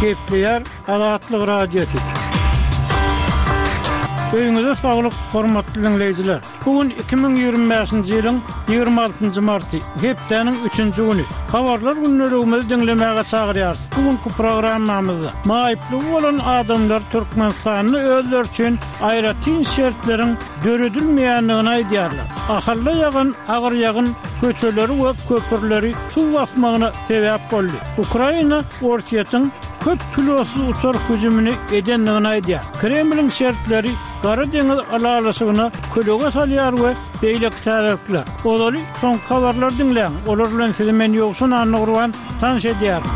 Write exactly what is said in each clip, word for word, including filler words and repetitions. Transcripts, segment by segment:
Gepleýär Azatlyk Radiosy. Öýüňize saglyk, hormatly diňleýjiler. Bu gün iki müň ýigrimi bäşinji ýylyň ýigrimi altynjy marty, hepdäniň üçünji güni. Habarlar gündeligimizi diňlemäge çagyrýarys. Bu günki programmamyzda maýyplygy bolan adamlar Türkmenistanda özleri üçin aýratyn şertleriň döredilmeýändigini aýdýarlar. Ahalda ýagan agyr ýagyn köçeleri we köprüleri suw basmagyna sebäp boldy. Ukraina Orsýetiň köp pilotsyz uçar hüjümini edendigini aýdýar. Kremliň şertleri Gara deňiz ylalaşygyna kölege salýar we beýleki täzelikler. Ozaly soňky habarlary diňläň, olar bilen sizi men Ýowşan Annagurban tanyş edýärin.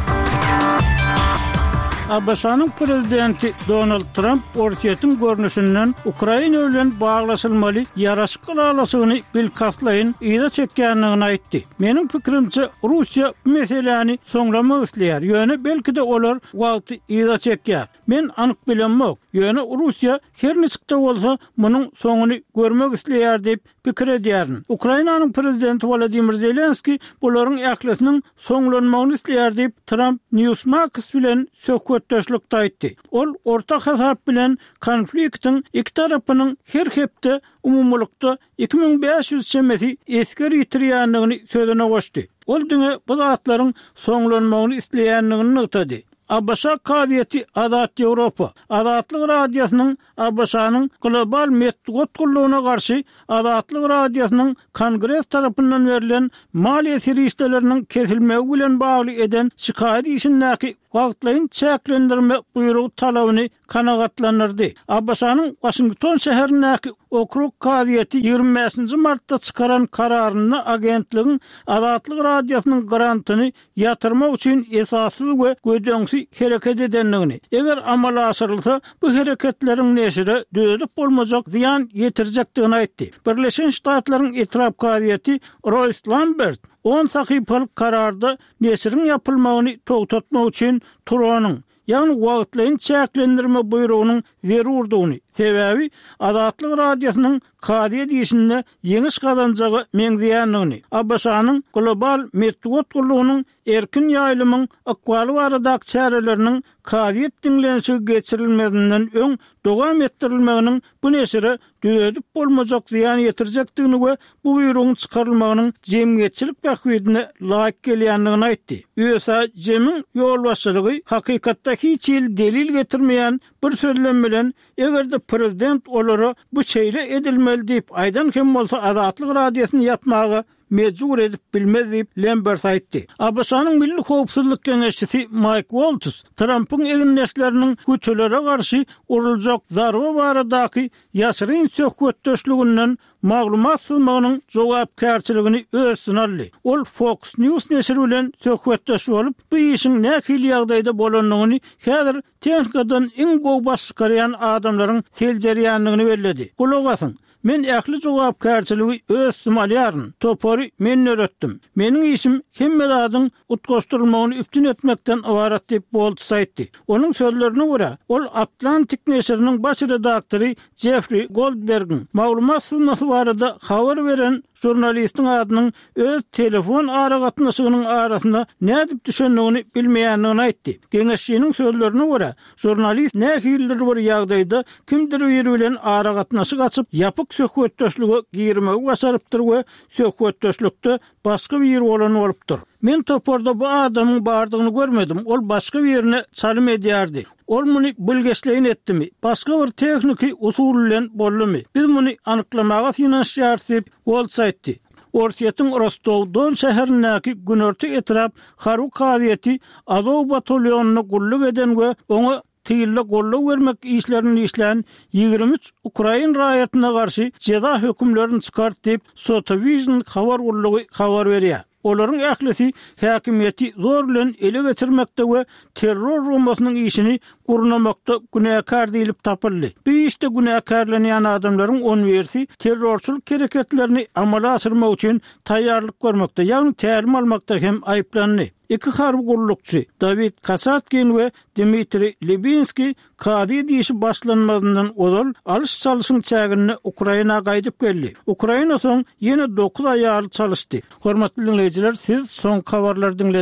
ABŞ-nyň prezidenti Donald Tramp Orsýetiň görnüşinden Ukraina bilen baglaşylmaly ýaraşyk ylalaşygyny bilkastlaýyn yza çekýändigini aýtdy. Meniň pikirimçe, Russiýa bu meseläni soňlamak isleýär, ýöne belki-de olar wagty yza çekýär. Men anyk bilemok, ýöne Russiýa her niçik-de bolsa munuň soňuny görmek isleýär diýip pikir edýärin. Ukrainanyň prezidenti Wolodymyr Zelenskiý bularyň ählisiniň soňlanmagyny isleýär diýip, Tramp Newsmax bilen söhbetdeşlikde aýtdy. Ol orta hasap bilen konfliktiň iki tarapynyň her hepde umumylykda iki müň bäş ýüz çemesi esger ýitirýändigini sözüne goşdy. Ol diňe bu zatlaryň soňlanmagyny isleýändigini nygtady. ABŞ kazyýeti Azat Ýewropa, Azatlyk Radiosynyň ABŞ-nyň Global metbugat gullugyna garşy Azatlyk Radiosynyň Kongres tarapyndan berlen maliýe serişdeleriniň kesilmegi bilen bagly eden şikaýat işindäki wagtlaýyn çäklendirme buýrugy talabyny kanagatlandyrdy. ABŞ-nyň Waşington şäherindäki okrug kazyýeti ýigrimi bäşinji martda çykaran kararynda agentligiň Azatlyk Radiosynyň grantyny ýatyrmak üçin esassyz we gödeňsi hereket edendigini, eger amala aşyrylsa, bu hereketleriň neşire düzedip bolmajak zyýan ýetirjekdigini aýtdy. Birleşen Ştatlaryň etrap kazyýeti Roýs Lambert on sahypalyk kararda neşiriň ýapylmagyny togtatmak üçin Turonyň, ýagny wagtlaýyn çäklendirme buýrugynyň zerurdygyny, sebäbi Azatlyk Radiosynyň kazyýet işinde ýeňiş gazanjaga meňzeýändigini, ABŞ-nyň Global metbugat gullugynyň erkin ýaýlymyň ykbaly baradaky çäreleriniň kazyýet diňlenişigi geçirilmezinden öň dowam etdirilmeginiň bu neşire düzedip bolmajak zyýan ýetirjekdigini we bu buýrugyň çykarylmagynyň jemgyýetçilik bähbidine laýyk gelýändigini aýtdy. ÜSAJM-iň ýolbaşçylygy hakykatda hiç hili delil getirmeýän bir sözlem bilen eger-de prezident olara bu şeýle edilmeli diýip aýdan hem bolsa Azatlyk Radiosyny ýapmaga mejbur edip bilmez diýip, Lembert aýtdy. ABŞ-nyň Milli howpsuzlyk geňeşçisi Maýk Woltz Trampyň egindeşleriniň hütülere garşy uruljak zarba baradaky ýaşyryn söhbetdeşliginden maglumat syzmagynyň jogapkärçiligini öz üstüne aldy. Ol Fox News neşiri bilen söhbetdeş bolup, bu işiň nähili ýagdaýda bolandygyny häzir tehnikadan iň gowy baş çykarýan adamlaryň seljerýändigini belledi. Gulak asyň, Men ähli jogapkärçiligi öz üstüme alýaryn. Topary men döretdim. Meniň işim hemme zadyň utgaşdyrylmagyny üpjün etmekden ybarat diýip, Woltz aýtdy. Onuň sözlerine görä, ol Atlantik neşiriniň baş redaktory Jeffri Goldbergiň maglumat syzmasy barada habar beren žurnalistiň adynyň öz telefon aragatnaşygynyň arasyna nädip düşendigini bilmeýändigini aýtdy. Geňeşçiniň sözlerine görä, žurnalist nähilidir bir ýagdaýda kimdir biri bilen aragatnaşyk açyp, ýapyk söhbetdeşlige girmegi başarypdyr we söhbetdeşlikde başga biri bolan bolupdyr. Men toparda bu adamyň bardygyny görmedim, ol başga birine çalym edýärdi. Ol muny bilgeşleýin etdimi, başga bir tehniki usul bilen boldumy, biz muny anyklamaga synanyşýarys diýip, Woltz aýtdy. Orsýetiň Rostow-Don şäherindäki Günorta etrap harby kazyýeti Azow batalýonynda gulluk eden we oňa tylda goldaw bermek işlerini işlän ýigrimi üç ukrain raýatyna garşy jeza hökümlerini çykardy diýip, Sotavision habar gullugy habar berýär. Olaryň ählisi häkimiýeti zor bilen ele geçirmekde we terror guramasynyň işini gurnamakda günäkär diýlip tapyldy. Bu işde günäkärlenýän adamlaryň on birisi terrorçylyk hereketlerini amala aşyrmak üçin taýýarlyk görmekde, ýagny tälim almakda hem aýyplandy. Iki harby gullukçy, Dawid Kasatkin we Dmitriý Libinskiý kazyýet işi başlanmazyndan ozal alyş-çalşyň çäginde Ukraina gaýdyp geldi. Ukraina soň ýene dokuz aýaly çalyşdy. Hormatly diňleýjiler, siz soňky habarlary diňlediňiz.